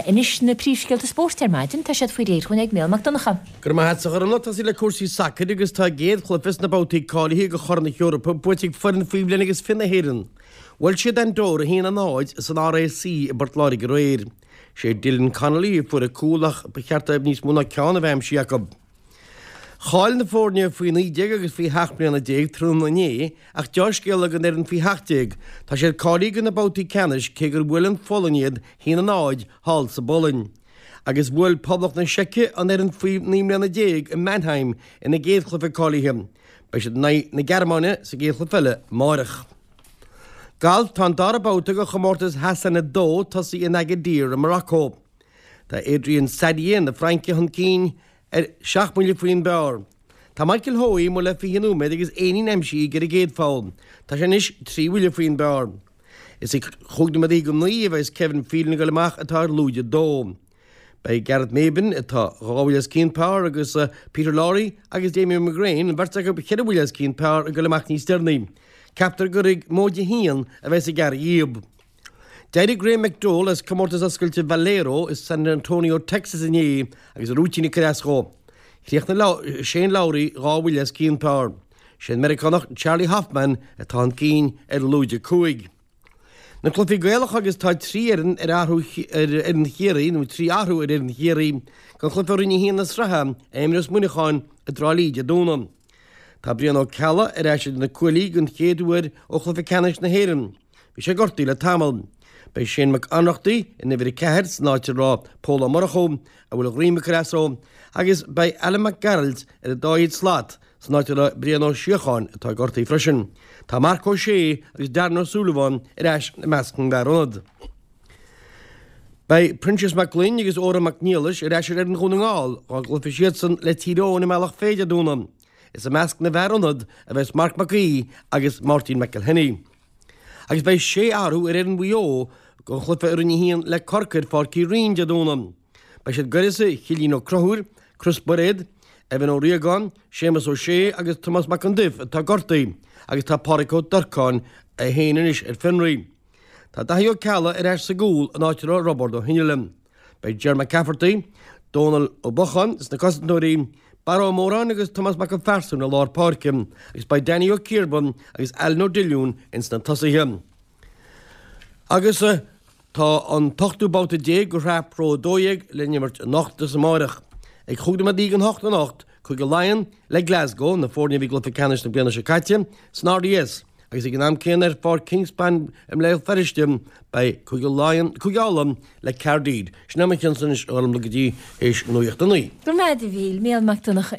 Anois na príomhscéalta spóirt ar maidin, tá siad faoi réir dhúinn ag Mícheál Mac Donncha. Go raibh maith agat a Ghormfhlaith. Tosaí le cúrsaí sacair agus tá a gcéad chluiche sna babhtaí cáilithe do Chorn na hEorpa buaite ag foireann faoi bhliain agus 20 na hÉireann. Bhuail siad Andorra 1-0 san RAC i bPort Láirge aréir. Sé Dylan Connolly a fuair an cúl ach ba cheart dóibh níos mó ná ceann a bheith aimsithe acu. Chaill na foirne faoi 19 agus faoi 17 mbliana tráthnóna inné ach deá-scéala don fhoireann faoi 17, tá siad cáilithe do na babhtaí ceannais cé gur bhuail an Pholainn iad 1-0 thall sa bPolainn. Agus bhuail Poblacht na Seice an fhoireann faoi 19 mbliana i Mannheim ina gcéad chluiche cáilithe. Beidh siad in aghaidh na Gearmáine sa gcéad chluiche eile amáireach. Galf, Tá an dara babhta de chomórtas Hassan 2 tosaithe in Agadir i Morocco. Tá Adrien Saddier na Fraince chun cinn ar sheacht mbuille faoin bpar. Tá Michael Hoey amuigh le 20 nóiméad agus éinín aimsithe aige ar an gcéad pholl. Tá sé anois 3 bhuille faoin bpar. Is ag chúig nóiméad go naoi a bheas Kevin Phelan ag dul amach atá ar lúide 2. Beidh Gareth Maybin, atá dhá bhuille os cionn par, agus Peter Lawrie agus Damien McGrane, an bheirt acu ceithre bhuille os cionn par, ag dul amach níos deireanaí. Ceaptar gur ag móide a haon a bheas ag gearradh dhíob. D'éirigh Graham McDowell as Comórtas Oscailte Valero i San Antonio, Texas inné agus a rúitín ag cur as dhó. Chríochnaigh Shane Lowry 2 bhuille os cionn par. Sé an Meiriceánach Charley Hoffman atá chun cinn ar lúide 5. Na cluichí Gaelacha agus tá 3 fhoireann ar athrú ar fhoireann Chiarraí, nó 3 athrú ar fhoireann Chiarraí don chluiche i Roinn 1 na sraithe a imreos Muineachán i dTrá Lí Dé Domhnaigh. Tá Brian Ó Ceallaigh ar ais idir na cuaillí den chéad uair ó chluiche ceannais na hÉireann. Bhí sé gortaithe le tamall. Beidh Shane Mac Ionnrachtaigh in uimhir 4 san áit a raibh Pól Ó Murchú, a bhfuil a dhroim ag cur as dó, agus beidh Alan Mac Gearailt ar an dá thaobh slat san áit a raibh Brian Ó Síocháin, atá gortaithe freisin. Tá Marc Ó Sé agus Darren Ó Súilleabháin ar ais i measc na bhfear ionad. Beidh Proinsias Mac Gloinn agus Odhrán Mac Niallais ar ais ar fhoireann Dhún na nGall dá gcloífidh siadsan le Tír Eoghain i mBealach Féich Dé Domhnaigh. Is i measc na bhfear ionad a bheas Marc Mac Aoidh agus Máirtín McElhinney. Agus beidh sé athrú ar fhoireann Mhaigh Eo don chluiche i Roinn 1 le Corcaigh ar Pháirc Uí Rinn Dé Domhnaigh. Beidh siad ag uireasa Chillín Ó Conchúir, Chris Bairéad, Evan Ó Riagáin, Séamus Ó Sé agus Tomás Mac Con Duibh atá gortaithe agus tá Pádraic Ó Durcáin é féin anois ar fionraí. Tá Daithí Ó Ceallaigh ar ais sa gcúl in áit a raibh Roibeárd Ó hInghill. Beidh Ger McCafferty, Dónal Ó Bocháin sna cosantóirí, Barra Ó Móráin agus Tomás Mac an Phearsúin i lár páirce agus beidh Danny Ó Ciarbáin agus Alan Ó Diolúin ins na tosaithe. Agus tá an t-ochtú babhta déag de shraith Pro 12 le n-imirt anocht is amáireach. Ag chúig nóiméad i ndiaidh an hocht anocht, Cúige Laighean le Glasgow, na foirne a bhí i gcluiche ceannais na bliana seo caite, san RDS. Agus ag an am céanna ar Pháirc Kingspan i mBéal Feirste beidh Cúige Laighean, Cúige Uladh le Caerdydd. Sin é mo chionsa anois a Ghormfhlaith go dtí théis nuacht a 9. Go raibh maith agat a Mhíchíl, Mícheál Mac Donncha.